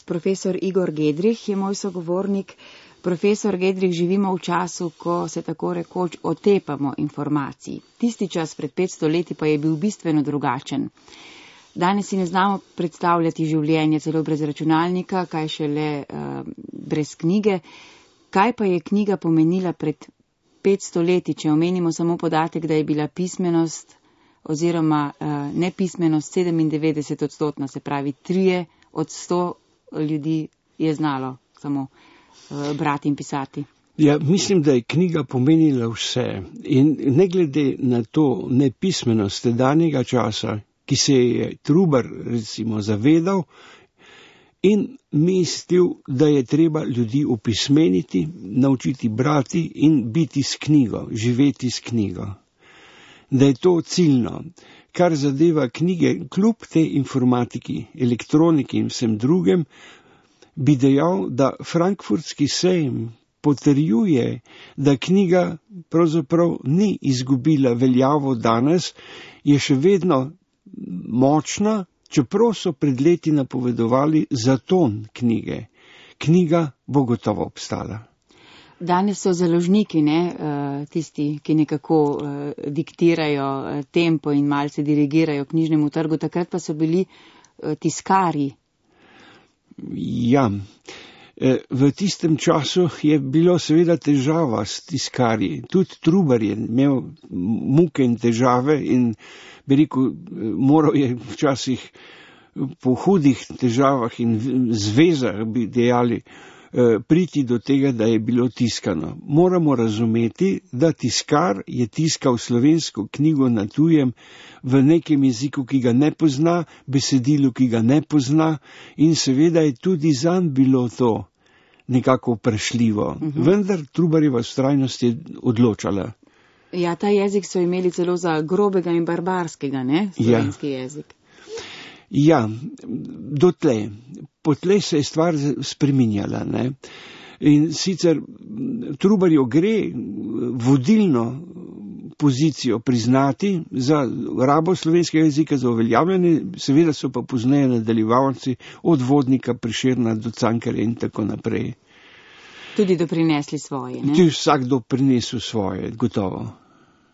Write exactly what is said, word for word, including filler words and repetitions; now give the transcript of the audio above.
Profesor Igor Gedrih je moj sogovornik. Profesor Gedrih, živimo v času, ko se tako rekoč otepamo informacij. Tisti čas pred petsto leti pa je bil bistveno drugačen. Danes si ne znamo predstavljati življenja celo brez računalnika, kaj šele uh, brez knjige. Kaj pa je knjiga pomenila pred petsto leti, če omenimo samo podatek, da je bila pismenost oziroma uh, nepismenost sedemindevetdeset odstotna, se pravi trije od sto ljudi je znalo samo uh, brati in pisati. Ja, mislim, da je knjiga pomenila vse. In ne glede na to nepismenost tedanjega časa, ki se je Trubar recimo zavedal in mislil, da je treba ljudi opismeniti, naučiti brati in biti s knjigo, živeti s knjigo. Da je to ciljno. Kar zadeva knjige, kljub tej informatiki, elektroniki in vsem drugem, bi dejal, da frankfurtski sejem potrjuje, da knjiga pravzaprav ni izgubila veljavo danes, je še vedno močna, čeprav so pred leti napovedovali zaton knjige. Knjiga bo gotovo obstala. Danes so založniki, ne, tisti, ki nekako diktirajo tempo in malce dirigirajo knjižnemu trgu, takrat pa so bili tiskarji. Ja, v tistem času je bilo seveda težava s tiskarji. Tudi Trubar je imel muke in težave in bi rekel, moral je včasih po hudih težavah in zvezah, bi dejali, priti do tega, da je bilo tiskano. Moramo razumeti, da tiskar je tiskal slovensko knjigo na tujem v nekem jeziku, ki ga ne pozna, besedilu, ki ga ne pozna, in seveda je tudi zanj bilo to nekako vprašljivo. Uh-huh. Vendar Trubarjeva vztrajnost je odločala. Ja, ta jezik so imeli celo za grobega in barbarskega, ne? Slovenski ja. jezik. Ja, dotlej. Potlej se je stvar spreminjala, ne? In sicer Trubarju gre vodilno pozicijo priznati za rabo slovenskega jezika, za uveljavljanje, seveda so pa pozneje nadaljevalci od Vodnika, Prešerna do Cankarja in tako naprej. Tudi doprinesli svoje, ne? Tudi vsak doprinesel svoje, gotovo.